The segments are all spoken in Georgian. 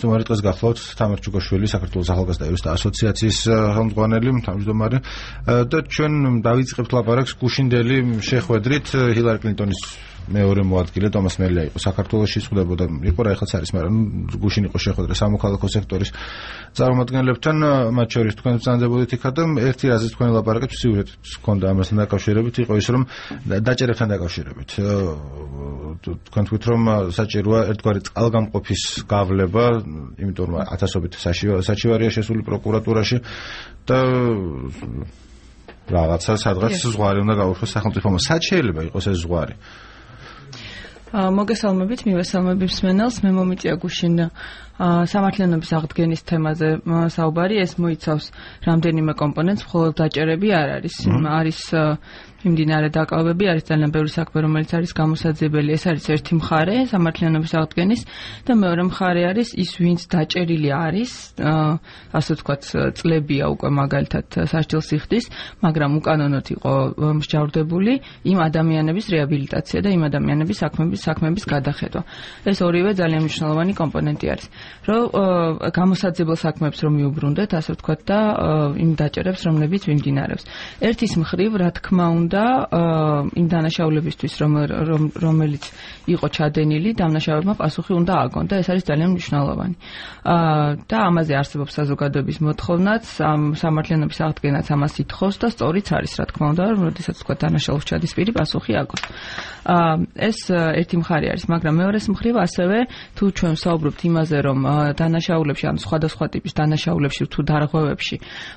მჯდომარე დღეს გახლავთ თამარ ჩუკაშვილი, საქართველოს ახალგაზრდა იურისტთა ასოციაციის ხელმძღვანელი, თავმჯდომარე და ჩვენ დავიწყებთ ლაპარაკს გუშინდელი შეხვედრით ჰილარი კლინტონის მეორე მოადგილე ტომას მელია იყო საქართველოში ხვდებოდა იყო რა ეხლაც არის, მაგრამ გუშინ იყო შეხვედრა სამოქალაქო სექტორის წარმომადგენლებთან, მათ შორის თქვენ ბრძანდებოდით იქა და ერთი რაზეც თქვენ ლაპარაკებთ სიუჟეტიც ჰქონდა ამასთან დაკავშირებით, იყო ის რომ დაჭერებთან დაკავშირებით თქვენ თქვით რომ საჭიროა ერთგვარი წყალგამყოფის გავლება, იმიტომ რომ ათასობით საჩივარია შესული პროკურატურაში და რაღაცა სადღაც ზღვარი უნდა გაუშვას სახელმწიფომ. სად შეიძლება იყოს ეს ზღვარი? მოგესალმებით, მივესალმებით მსმენელს. მე მომიწია გუშინ სამართლიანობის აღდგენის თემაზე საუბარი. ეს მოიცავს რამდენიმე კომპონენტს, მხოლოდ დაჭერები არ არის. არის მიმდინარე დაკავებები, არის ძალიან ბევრი საქმე, რომელიც არის გამოსაძიებელი. ეს არის ერთი მხარე სამართლიანობის აღდგენის და მეორე მხარე არის ის, ვინც დაჭერილი არის, ასე ვთქვათ, წლებია უკვე მაგალითად სასჯელს იხდის, მაგრამ უკანონოდ იყო მსჯავრდებული იმ ადამიანების რეაბილიტაცია და იმ ადამიანების საქმეების გადახედვა. ეს ორივე ძალიან მნიშვნელოვანი კომპონენტი არის. რომ გამოსაძიებელ საქმეებს რომ მიუბრუნდეთ, ასე ვთქვათ და იმ დაჭერებს, რომლებიც მიმდინარეობს. ერთის მხრივ, რა თქმა უნდა, იმ დანაშაულებისთვის, რომელიც იყო ჩადენილი, დამნაშავებმა პასუხი უნდა აგონ და ეს არის ძალიან მნიშვნელოვანი. და ამაზე არსებობს საზოგადოების მოთხოვნაც, სამართლიანობის აღდგენაც ამას ითხოვს და სწორიც არის, რა თქმა უნდა, რომ როდესაც თქვა დანაშაულს ჩადის პირი, პასუხი აგოს. ეს ერთი მხარე არის, მაგრამ მეორეს მხრივ ასევე თუ ჩვენ ვსაუბრობთ იმაზე, რომ დანაშაულებში, ან სხვადასხვა ტიპის დანაშაულებში თუ დარღვევებში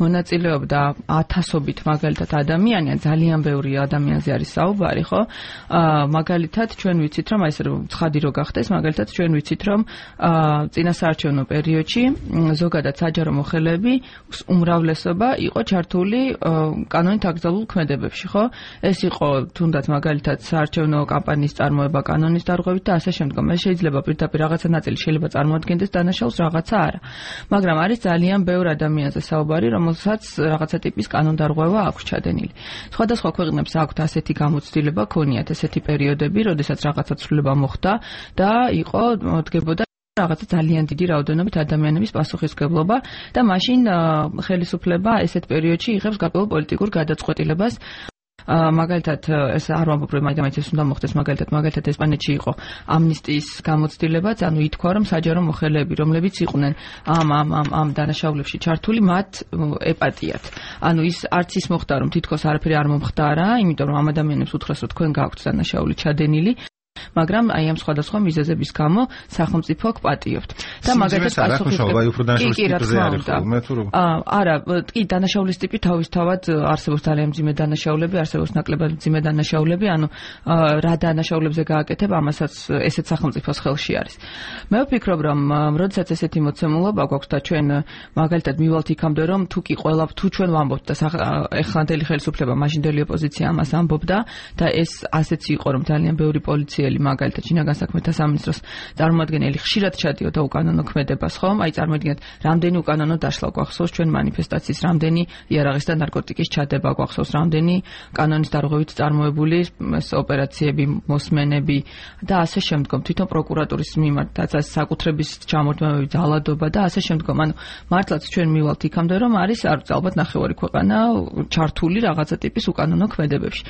მონაწილეობდა ათასობით მაგალითად ადამიანი, ან ძალიან ბევრი ადამიანზე არის საუბარი, ხო? მაგალითად ჩვენ ვიცით, რომ ეს ცხადი რო გახდეს, მაგალითად ჩვენ ვიცით, რომ წინასაარჩევნო პერიოდში ზოგადად საჯარო მოხელეები უმრავლესობა იყო ჩართული კანონით აკრძალულ ქმედებებში, ხო? ეს იყო თუნდაც მაგალითად საარჩევნო კამპანიის წარმოება კანონის დარღვევით და ასე შემდგომ. ეს შეიძლება პირდაპირ რაღაცა ნაწილი შეიძლება წარმოადგენდეს დანაშაულს, რაღაცა არა. მაგრამ არის ძალიან ბევრ ადამიანზე საუბარი, რომელსაც რაღაცა ტიპის კანონდარღვევა აქვს ჩადენილი. სხვადასხვა ქვეყნებს აქვთ ასეთი გამოცდილება, ქონიათ ესეთი პერიოდები, როდესაც რაღაცა ცვლილება მოხდა და იყო დგებოდა რაღაცა ძალიან დიდი რაოდენობით ადამიანების პასუხისმგებლობა და მაშინ ხელისუფლება ესეთ პერიოდში იღებს გარკვეულ პოლიტიკურ გადაწყვეტილებას. მაგალითად ეს არ ვამბობ რომ მაინც ეს უნდა მოხდეს, მაგალითად ესპანეთში იყო ამნისტიის გამოცდილებაც, ანუ ითქვა რომ საჯარო მოხელეები, რომლებიც იყვნენ ამ დანაშაულებში ჩართული, მათ ეპატიათ. ანუ ის არც ის მოხდა რომ თითქოს არაფერი არ მომხდარა, იმიტომ რომ ამ ადამიანებს უთხრეს რომ თქვენ გაქვთ დანაშაული ჩადენილი, მაგრამ აი ამ სხვადასხვა მიზეზების გამო სახელმწიფო გპატიობთ. და მაგალითად არა, კი დანაშაულის ტიპი თავისთავად არსებობს ძალიან მძიმე დანაშაულები, არსებობს ნაკლებად მძიმე დანაშაულები, ანუ რა დანაშაულებზე გააკეთებ, ამასაც ესეც სახელმწიფოს ხელში არის. მე ვფიქრობ, რომ როდესაც ესეთი მოცემულობა გვაქვს და ჩვენ მაგალითად მივალთ იქამდე, რომ თუ ჩვენ ვამბობთ და ეხლანდელი ხელისუფლება, მაშინდელი ოპოზიცია ამას ამბობდა და ეს ასეც იყო, რომ ძალიან ბევრი პოლიციელი მაგალითად შინაგან საქმეთა სამინისტროს წარმომადგენელი ხშირად ჩადიოდა უკანონო ქმედებას, ხომ? აი წარმოიდგინეთ, რამდენი უკანონო დაშლა გვახსოვს ჩვენ მანიფესტაციის, რამდენი იარაღის და ნარკოტიკის ჩადება გვახსოვს, რამდენი კანონის დარღვევით წარმოებული ოპერაციები, მოსმენები და ასე შემდგომ. თვითონ პროკურატურის მიმართაც საკუთრების ჩამორთმევები, ძალადობა და ასე შემდგომ. ანუ მართლაც ჩვენ მივალთ იქამდე, რომ არის ალბათ ნახევარი ქვეყანა ჩართული რაღაცა ტიპის უკანონო ქმედებებში.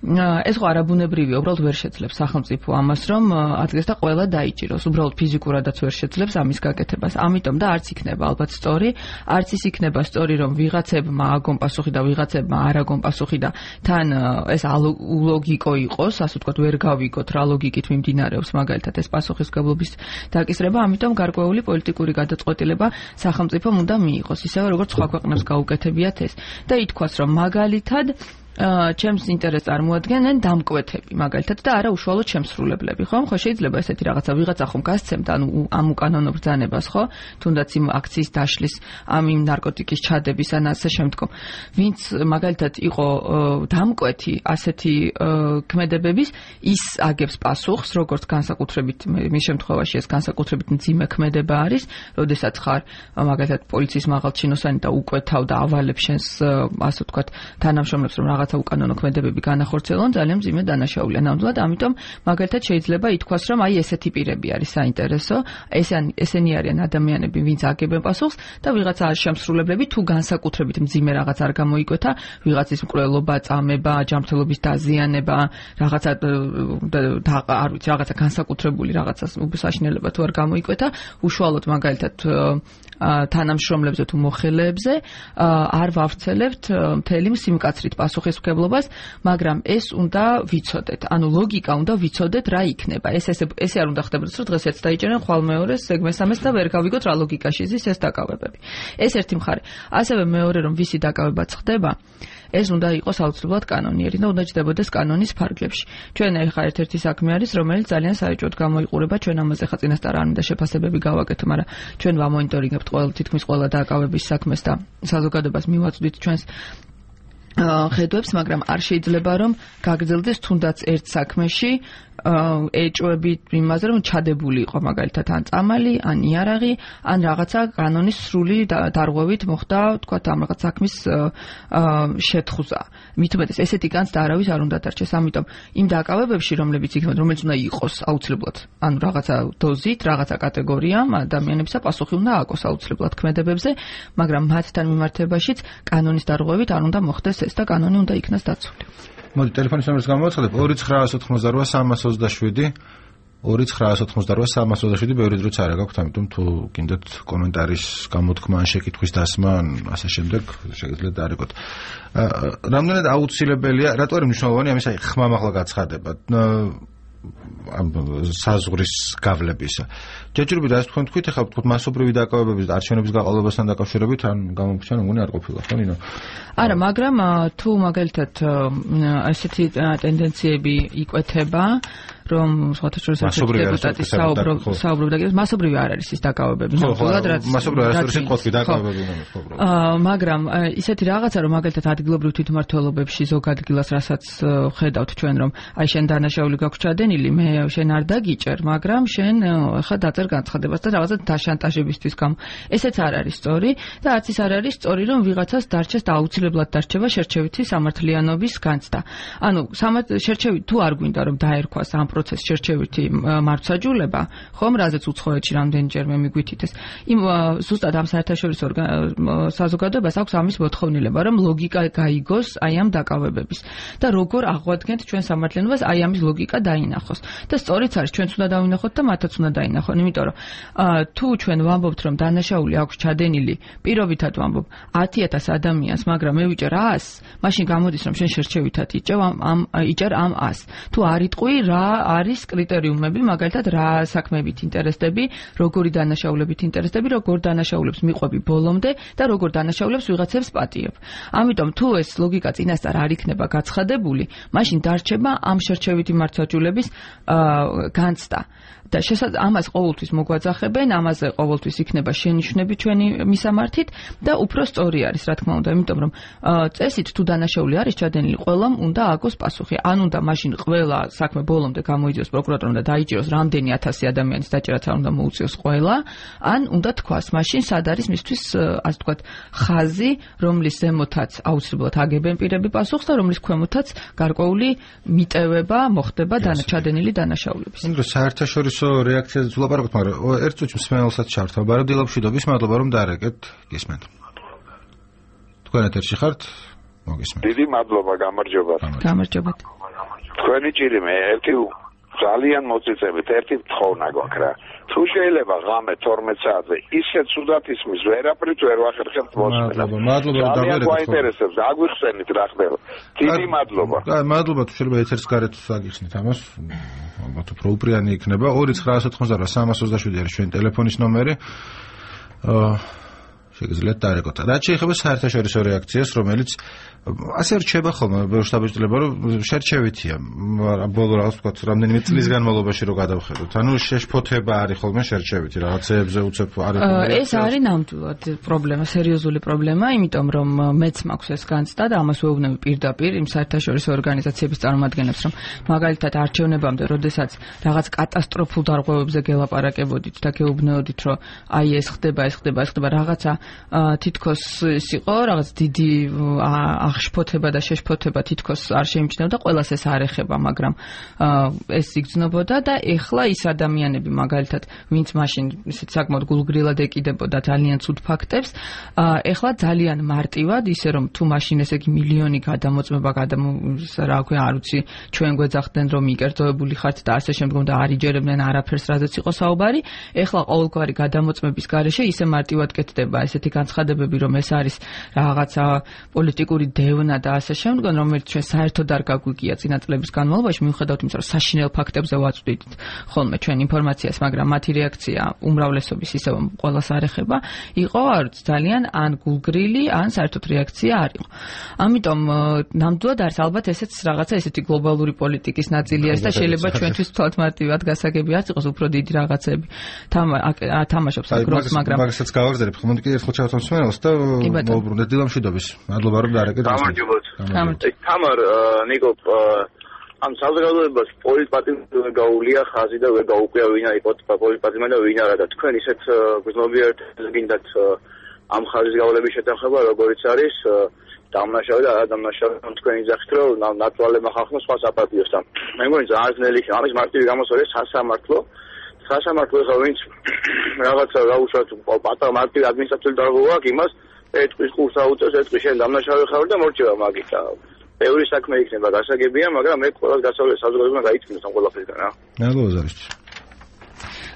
ეს ხო არაბუნებრივია, უბრალოდ ვერ შეძლებს სახელმწიფო ამას, რომ ადგეს და ყველა დაიჭიროს, უბრალოდ ფიზიკურადაც ვერ შეძლებს ამის გაკეთებას. ამიტომ და არც იქნება ალბათ სწორი, არც ის იქნება სწორი, რომ ვიღაცებმა აგონ პასუხი და ვიღაცებმა არ აგონ პასუხი და თან ეს ულოგიკო იყოს, ასე ვთქვათ, ვერ გავიგოთ რა ლოგიკით მიმდინარეობს მაგალითად ეს პასუხისმგებლობის დაკისრება, ამიტომ გარკვეული პოლიტიკური გადაწყვეტილება სახელმწიფომ უნდა მიიღოს, ისევე როგორც სხვა ქვეყნებს გაუკეთებიათ ეს. და ითქვას, რომ მაგალითად ჩემს ინტერესს წარმოადგენენ დამკვეთები, მაგალითად და არა უშუალოდ შემსრულებლები, ხო? ხო შეიძლება ესეთი რაღაცა ვიღაცა ხომ გასცემთ, ანუ ამ უკანონო ბრძანებას, ხო? თუნდაც იმ აქციის დაშლის, იმ ნარკოტიკის ჩადების ან ასე შემდგომ. ვინც მაგალითად იყო დამკვეთი ასეთი ქმედებების, ის აგებს პასუხს, როგორც განსაკუთრებით მის შემთხვევაში ეს განსაკუთრებით მძიმე ქმედება არის, როდესაც ხარ მაგალითად პოლიციის მაღალჩინოსანი და უკვეთავ და ავალებ შენს, ასე ვთქვათ, თანამშრომლებს, რომ რაღაცა უკანონო ქმედებები განახორციელონ, ძალიან მძიმე დანაშაულია ნამდვილად. ამიტომ მაგალითად შეიძლება ითქვას, რომ აი ესეთი პირები არის საინტერესო, ესენი არიან ადამიანები, ვინც აგებენ პასუხს და ვიღაცა შემსრულებლები თუ განსაკუთრებით მძიმე რაღაც არ გამოიკვეთა, ვიღაცის მკვლელობა, წამება, ჯანმრთელობის დაზიანება, რაღაცა არ ვიცი, რაღაცა განსაკუთრებული რაღაცას უბსაშინელება თუ არ გამოიკვეთა, უშუალოდ მაგალითად თანამშრომლებზე თუ მოხელეებზე არ ვავრცელებთ მთელი სიმკაცრით პასუხისმგებლობას, მაგრამ ეს უნდა ვიცოდეთ. ანუ ლოგიკა უნდა ვიცოდეთ რა იქნება. ესე არ უნდა ხდებოდეს, რომ დღეს ერთ დაიჭერენ, ხვალ მეორეს, ეგ მესამეს და ვერ გავიგოთ რა ლოგიკაში ზის ეს დაკავებები. ეს ერთი მხარე. ასევე მეორე რომ ვისი დაკავებაც ხდება, ეს უნდა იყოს აუცილებლად კანონიერი და უნდა ჯდებოდეს კანონის ფარგლებში. ჩვენ ახლა ერთ-ერთი საქმე არის, რომელიც ძალიან საერთოდ გამოიყურება, ჩვენ ამაზე ხა წინასწარ არ უნდა შეფასებები გავაკეთო, მაგრამ ჩვენ ვამონიტორინგებთ თითქმის ყველა დაკავების საქმეს და საზოგადოებას მივაწვდით ჩვენს ხედვებს, მაგრამ არ შეიძლება რომ გაგრძელდეს თუნდაც ერთ საქმეში ეჭვები იმაზე, რომ ჩადებული იყო მაგალითად ან წამალი, ან იარაღი, ან რაღაცა კანონის სრული დარღვევით მოხდა, თქვათ, ამ რაღაც საქმის შეთხუზა. მით უმეტეს ესეთი განცდა არავის არ უნდა დარჩეს. ამიტომ იმ დაკავებებში, რომელიც უნდა იყოს აუცილებლად, ანუ რაღაცა დოზით, რაღაცა კატეგორიამ ადამიანებსა პასუხი უნდა ააგოს აუცილებლად ქმედებებზე, მაგრამ მათთან მიმართებაშიც კანონის დარღვევით არ უნდა მოხდეს ეს და კანონი უნდა იქნას დაცული. მოდი ტელეფონის ნომერს გამოვაცხადებ 2988 2988 ბევრი დროც არ გაქვთ, ამიტომ თუ გინდათ კომენტარის გამოთქმა ან შეკითხვის დასმა ან ასე შემდეგ შეგიძლიათ დაარეკოთ. რამდენად აუცილებელია, რატო არის მნიშვნელოვანი ამის ხმამ ახლა გაცხადება ამ საზღვრის გავლებისა. ჯერჯერობით ასე თქვით, ეხლა ვთქვით მასობრივი დაკავებების და არჩევნების გაყალბებასთან დაკავშირებით ან გამომჩა მგონი არ ყოფილა, ხო ნინო? არა, მაგრამ თუ მაგალითად ასეთი ტენდენციები იკვეთება, რომ სხვათა შორის დეპუტატი საუბრობდა, მასობრივი არ არის ის დაკავებები, ნამდვილად რაც მასობრივი არ არის სიტყვათი დაკავებები ნომერ. მაგრამ ისეთი რაღაცა, რომ მაგალითად ადგილობრივ თვითმმართველობებში ზოგ ადგილას რასაც ხედავთ ჩვენ, რომ აი შენ დანაშაული გაქვს ჩადენილი, მე შენ არ დაგიჭერ, მაგრამ შენ ხა დაწერ განცხადებას და რაღაცა დაშანტაჟებისთვის გამო. ესეც არ არის სწორი და არც ის არ არის სწორი, რომ ვიღაცას დარჩეს და აუცილებლად დარჩება შერჩევითი სამართლიანობის განცდა. ანუ შერჩევით თუ არ გვინდა რომ დაერქვას ამ პროცესს შერჩევითი მართლმსაჯულება, ხომ რაზეც უცხოეთში რამდენჯერმე მიგვითითეს. იმ ზუსტად ამ საერთაშორისო საზოგადოებას აქვს ამის მოთხოვნილება, რომ ლოგიკა გაიგოს აი ამ დაკავებების და როგორ აღვადგენთ ჩვენ სამართლიანობას აი ამის ლოგიკა დაინახოს. და სწორიც არის, ჩვენც უნდა დავინახოთ და მათაც უნდა დაინახონ, იმიტომ რომ თუ ჩვენ ვამბობთ, რომ დანაშაული აქვს ჩადენილი, პირობითად ვამბობ 10,000 ადამიანს, მაგრამ მე ვიჭერ 100-ს, მაშინ გამოდის, რომ შენ შერჩევითად იჭერ ამ 100-ს. თუ არ იტყვი რა არის კრიტერიუმები, მაგალითად რა საქმეებით ინტერესდები, როგორი დანაშაულებით ინტერესდები, როგორ დანაშაულებს მიყვები ბოლომდე და როგორ დანაშაულებს ვიღაცებს პატიებ. ამიტომ თუ ეს ლოგიკა წინასწარ არ იქნება გაცხადებული, მაშინ დარჩება ამ შერჩევითი მართლმსაჯულების განცდა. და ამას ყოველთვის მოგვაძახებენ, ამაზე ყოველთვის იქნება შენიშვნები ჩვენი მისამართით და უფრო სწორი არის, რა თქმა უნდა, იმიტომ რომ წესით თუ დანაშაული არის ჩადენილი, ყველამ უნდა ააგოს პასუხი. ან უნდა მაშინ ყველა საქმე ბოლომდე გამოიძიოს პროკურატორმა და დაიჭიროს რამდენი 1000 ადამიანის დაჭერაც არ უნდა მოუწიოს ყველა, ან უნდა თქვას მაშინ სად არის მისთვის, ასე ვთქვათ, ხაზი, რომლის ზემოთაც აუცილებლად აგებენ პირები პასუხს და რომლის ქვემოთაც გარკვეული მიტევება მოხდება ჩადენილი დანაშაულების. იმდროს საერთაშორისო რეაქციაზე ვლაპარაკობთ, მაგრამ ერთ წუთში მსმენელსაც ჩართვა. ბაროდილაბშვიდობის, მადლობა რომ დაარეკეთ, გისმენთ. თქვენ ეთერში ხართ? მოგისმენთ. დიდი მადლობა, გამარჯობათ. გამარჯობათ. თქვენი ჭირი მე ერთი ძალიან მოწიწებით, ერთი თხოვნა გვაქვს რა. თუ შეიძლება ღამე 12 საათზე ისე ცუდად ისმის, ვერაფრით ვერ ვახერხებთ მოსმენას. მადლობა რომ დავერეკეთ. გვაინტერესებს, აგვიხსენით რა ხდება. დიდი მადლობა. მადლობა, თუ შეიძლება ეთერს გარეთ აგიხსნით ამას. ალბათ უფრო უპრიანი იქნება. 2988 არის ჩვენი ტელეფონის ნომერი. შეგიძლიათ დაარეკოთ. რაც შეეხება საერთაშორისო რეაქციას, რომელიც ასე რჩება ხოლმე ბევრს დაბეჭდილება, რომ შერჩევითია. ბოლო რაღაც ვთქვათ, რამდენიმე წლის განმავლობაში რო გადავხედოთ. ანუ შეშფოთება არის ხოლმე შერჩევითი, რაღაცეებზე უცებ არის. ეს არის ნამდვილად პრობლემა, სერიოზული პრობლემა, იმიტომ რომ მეც მაქვს ეს განცდა და ამას ვეუბნები პირდაპირ იმ საერთაშორისო ორგანიზაციების წარმომადგენლებს, რომ მაგალითად არჩევნებამდე, როდესაც რაღაც კატასტროფულ დარღვევებზე გელაპარაკებოდით და გეუბნეოდით, რომ აი ეს ხდება, რაღაცა თითქოს ის იყო რაღაც დიდი აღშფოთება და შეშფოთება თითქოს არ შეიმჩნევდა, ყველას ეს არ ეხება, მაგრამ ეს იგრძნობოდა და ეხლა ის ადამიანები მაგალითად, ვინც მაშინ ისეთ საკმაოდ გულგრილად ეკიდებოდა ძალიან ცუდ ფაქტებს, ეხლა ძალიან მარტივად, ისე რომ თუ მაშინ ესე იგი მილიონი გადამოწმება, რა ქვია, არ ვიცი, ჩვენ გვეძახდნენ რომ იკერძოებული ხართ და ასე შემდგომ და არ იჯერებდნენ არაფერს, რადგან იყო საუბარი, ეხლა ყოველგვარი გადამოწმების გარეშე ისე მარტივად კეთდება ესეთი განცხადებები, რომ ეს არის რაღაცა პოლიტიკური დევნა და ასე შემდგომ, რომელიც ჩვენ საერთოდ არ გაგვიგია წინა წლების განმავლობაში, მიუხედავად იმისა, რომ საშინელ ფაქტებზე ვაწვდით ხოლმე ჩვენ ინფორმაციას, მაგრამ მათი რეაქცია უმრავლესობის ისევ ყველას არ ეხება, იყო ძალიან ან გულგრილი, ან საერთოდ რეაქცია არ იყო. ამიტომ ნამდვილად არის ალბათ ესეც რაღაცა ესეთი გლობალური პოლიტიკის ნაწილი არის და შეიძლება ჩვენთვის თვალთ მარტივად გასაგები არ იყოს უფრო დიდი რაღაცები თამაშობს აგროს, მაგრამ მაგასაც გავაგზავნებ ხომ კიდე ერთხელ ჩავთვალ მსმენელს და მოვუბრუნდეთ დილამშვიდობის. მადლობა რომ დაარეკეთ. თამარ ნიკო ამ საზოგადოებას პოლიტპატიმრობა გაუვლია ხაზი და ვერ გაუკვია ვინ არის პოლიტპატიმრობა და ვინ არა და თქვენ ისეთ გრძნობიერად გინდათ ამ ხაზის გავლების შეთანხმება როგორიც არის დამნაშავე და არადამნაშავე თქვენი ძახით რომ ნაცვალებმა ხალხმა სხვა საპატიოს და მე მგონი ძალიან ძნელი იქნება ამის მარტივი გამოსვლა სასამართლო ხა ვინც რაღაცა გაუშვათ პატარა მარტივი ადმინისტრაციული დარღვევა აქვს იმას ეტყვის ყურს აუწევს ეტყვის შენ დამნაშავე ხარ და მორჩება მაგით და ბევრი საქმე იქნება გასაგებია მაგრამ მე ყველას გასავლეს საზოგადოებამ გაიწმინოს ამ ყველაფერიდან რა მადლობა ზარიშ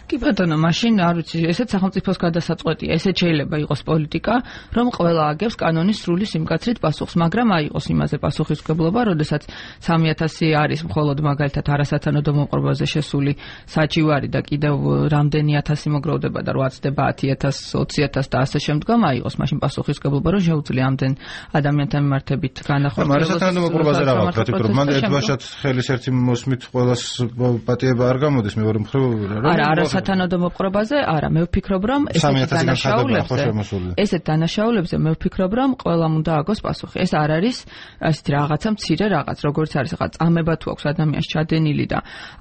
კი ბატონო, მაშინ არ ვიცი, ესეც სახელმწიფოს გადასაწყვეტია, ესეც შეიძლება იყოს პოლიტიკა, რომ ყველა აგებს კანონის სრული სიმკაცრით პასუხს, მაგრამ აიღოს იმაზე პასუხისმგებლობა, როდესაც 3000 არის მხოლოდ მაგალითად არასათანადო მომყრობაზე შესული საჩივარი და კიდევ რამდენი 1000 მოგროვდება და 8-დება 10000, 20000 და ასე შემდგომ აიღოს მაშინ პასუხისმგებლობა, რომ შეუძლია ამდენ ადამიანთან მიმართებით განახორციელოს. არასათანადო მომყრობაზე რა ვთქვათ, რომ მან ერთბაშად ხელის ერთი მოსმით ყველას პატიება არ გამოდის, მეორე მხრივ რა სათანადო მოპყრობაზე არა მე ვფიქრობ რომ ესეთ დანაშაულებზე მე ვფიქრობ რომ ყველამ უნდა აგოს პასუხი ეს არ არის ასეთი რაღაცა მცირე რაღაც როგორც არის რაღაც წამება თუ აქვს ადამიანს ჩადენილი და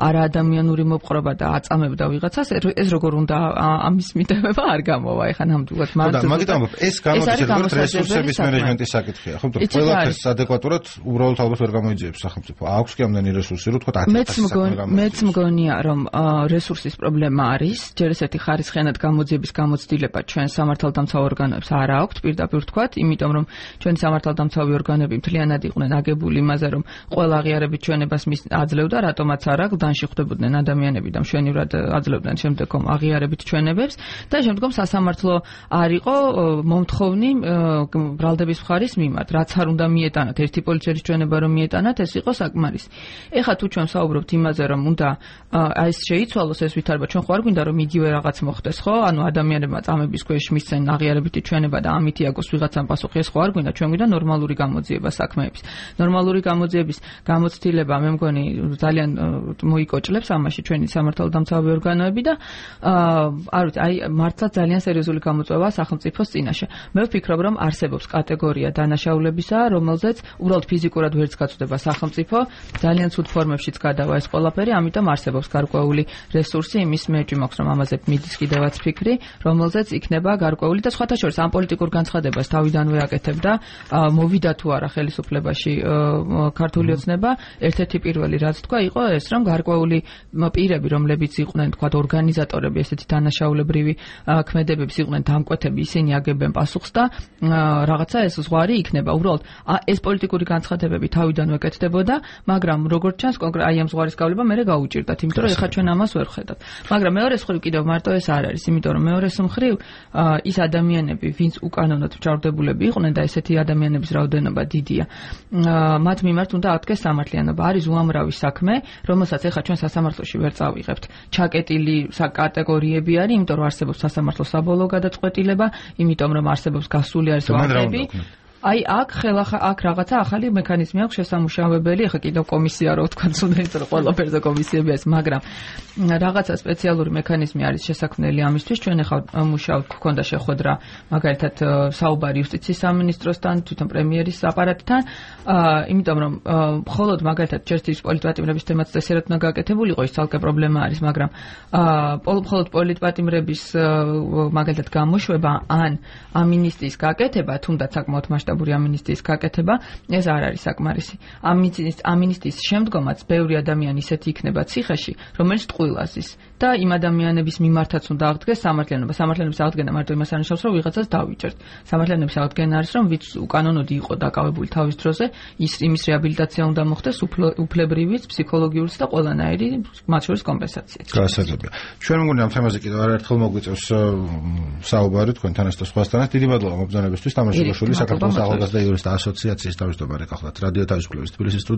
არა ადამიანური მოპყრობა და აწამებდა ვიღაცას ეს როგორ უნდა ამის მიტევება არ გამოვა ეხლა ნამდვილად მაგიტომ ეს გამოდის როგორც რესურსების მენეჯმენტის საკითხია ხო ყველაფერს ადეკვატურად უბრალოდ ალბათ ვერ გამოიძიებს სახელმწიფო აქვს კი ამდენი რესურსი რომ თქვა 100000 მეც მგონია რომ რესურსის პრობლემა არის, ჯერ ესეთი ხარისხიანად გამოძიების გამოცდილება ჩვენ სამართალდამცავ ორგანოებს არ აქვთ, პირდაპირ ვთქვათ, იმიტომ რომ ჩვენი სამართალდამცავი ორგანოები მთლიანად იყვნენ აგებული იმაზე, რომ ყველა აღიარებით ჩვენებას აძლევდა, რატომაც არა, გლდანში ხვდებოდნენ ადამიანები და მშვენივრად აძლევდნენ შემდგომ აღიარებით ჩვენებებს და შემდგომ სასამართლო არ იყო მომთხოვნი ბრალდების მხარის მიმართ, რაც არ უნდა მიეტანათ, ერთი პოლიციის ჩვენება რომ მიეტანათ, ეს იყო საკმარისი. ეხლა თუ ჩვენ საუბრობთ იმაზე, რომ უნდა აი ეს შეიცვალოს ეს ვითარება, ჩვენ ხო არ გვინდა რომ იგივე რაღაც მოხდეს, ხო? ანუ ადამიანებმა წამების ქვეშ მისცენ აღიარებითი ჩვენება და ამით იაგოს ვიღაცამ პასუხი, ეს ხო არ გვინდა, ჩვენ გვინდა ნორმალური გამოძიება საქმეების. ნორმალური გამოძიების გამოცდილება მე მგონი ძალიან მოიკოჭლებს ამაში ჩვენი სამართალდამცავი ორგანოები და არ ვიცი, აი მართლა ძალიან სერიოზული გამოწვევაა სახელმწიფოს წინაშე. მე ვფიქრობ, რომ არსებობს კატეგორია დანაშაულებისა, რომელზეც უბრალოდ ფიზიკურად ვერც გაწვდება სახელმწიფო, ძალიან ცუდ ფორმებშიც გადავა ეს ყველაფერი, ამიტომ არსებობს გარკვეული რესურსი იმის მეჭი მაქვს რომ ამაზე მიდის კიდევაც ფიქრი, რომელზეც იქნება გარკვეული და სხვათა შორის ამ პოლიტიკურ განცხადებას თავიდანვე აკეთებდა, მოვიდა თუ არა ხელისუფლებაში ქართული ოცნება, ერთ-ერთი პირველი რაც თქვა იყო ეს, რომ გარკვეული პირები, რომლებიც იყვნენ თქვა ორგანიზატორები, ესეთი დანაშაულებრივი ქმედებების იყვნენ დამკვეთები, ისინი აგებენ პასუხს და რაღაცა ეს ზღვარი იქნება. უბრალოდ ეს პოლიტიკური განცხადებები თავიდანვე აკეთდებოდა, მაგრამ როგორც ჩანს კონკრეტ აი ამ ზღვარის გავლება მე გაუჭირდათ, იმიტომ რომ ეხლა ჩვენ ამას ვერ ხედავთ. მაგრამ მეორეს მხრივ კიდევ მარტო ეს არ არის, იმიტომ რომ მეორეს მხრივ ის ადამიანები, ვინც უკანონოდ მჭარბდებულები იყვნენ და ესეთი ადამიანების რაოდენობა დიდია, მათ მიმართ უნდა აკეთეს სამართლიანობა. არის უამრავი საქმე, რომელსაც ეხლა ჩვენ სასამართლოში ვერ წავიღებთ. ჩაკეტილი კატეგორიები არის, იმიტომ რომ არსებობს სასამართლოს საბოლოო გადაწყვეტილება, იმიტომ რომ არსებობს გასული არის ვადები. აი აქ რაღაცა ახალი მექანიზმი აქვს შესამუშავებელი, ახლა კიდევ კომისია რო თქვა, თუნდაც იმიტომ რომ ყველაფერზე კომისიები არის, მაგრამ რაღაცა სპეციალური მექანიზმი არის შესაქმნელი ამისთვის. ჩვენ ახლა მუშაობთ, გქონდა შეხვედრა მაგალითად საუბარი იუსტიციის სამინისტროსთან, თვითონ პრემიერის აპარატთან, იმიტომ რომ მხოლოდ მაგალითად ჯერთვის პოლიტპატიმრების თემაც წესიერად უნდა გაკეთებულიყო, ის ცალკე პრობლემა არის, მაგრამ მხოლოდ პოლიტპატიმრების მაგალითად გამოშვება ან ამინისტიის გაკეთება, თუნდაც საკმაოდ მასშტაბური ამინისტიის გაკეთება, ეს არ არის საკმარისი. ამინისტიის შემდგომაც ბევრი ადამიანი ისეთი იქნება ციხეში, რომელიც ტყუილაზის და იმ ადამიანების მიმართაც უნდა აღდგეს სამართლიანობა. სამართლიანობის აღდგენა მარტო იმას არნიშნავს, რომ ვიღაცას დავიჭერთ. სამართლიანობის აღდგენა არის, რომ ვიც უკანონოდ იყო დაკავებული თავის დროზე, იმის რეაბილიტაცია უნდა მოხდეს, უფლებრივიც, ფსიქოლოგიურიც და ყველანაირი, მათ შორის კომპენსაციაც. გასაგებია. ჩვენ მგონი ამ თემაზე კიდევ არაერთხელ მოგვიწევს საუბარი თქვენთან და სხვასთანაც. დიდი მადლობა მობრძანებისთვის. თამარ ჩუგოშვილი, საქართველოს ახალგაზრდა იურისტთა ასოციაციის თავმჯდომარე, გახლავთ რადიო თავისუფლების თბილისის სტუდიაში.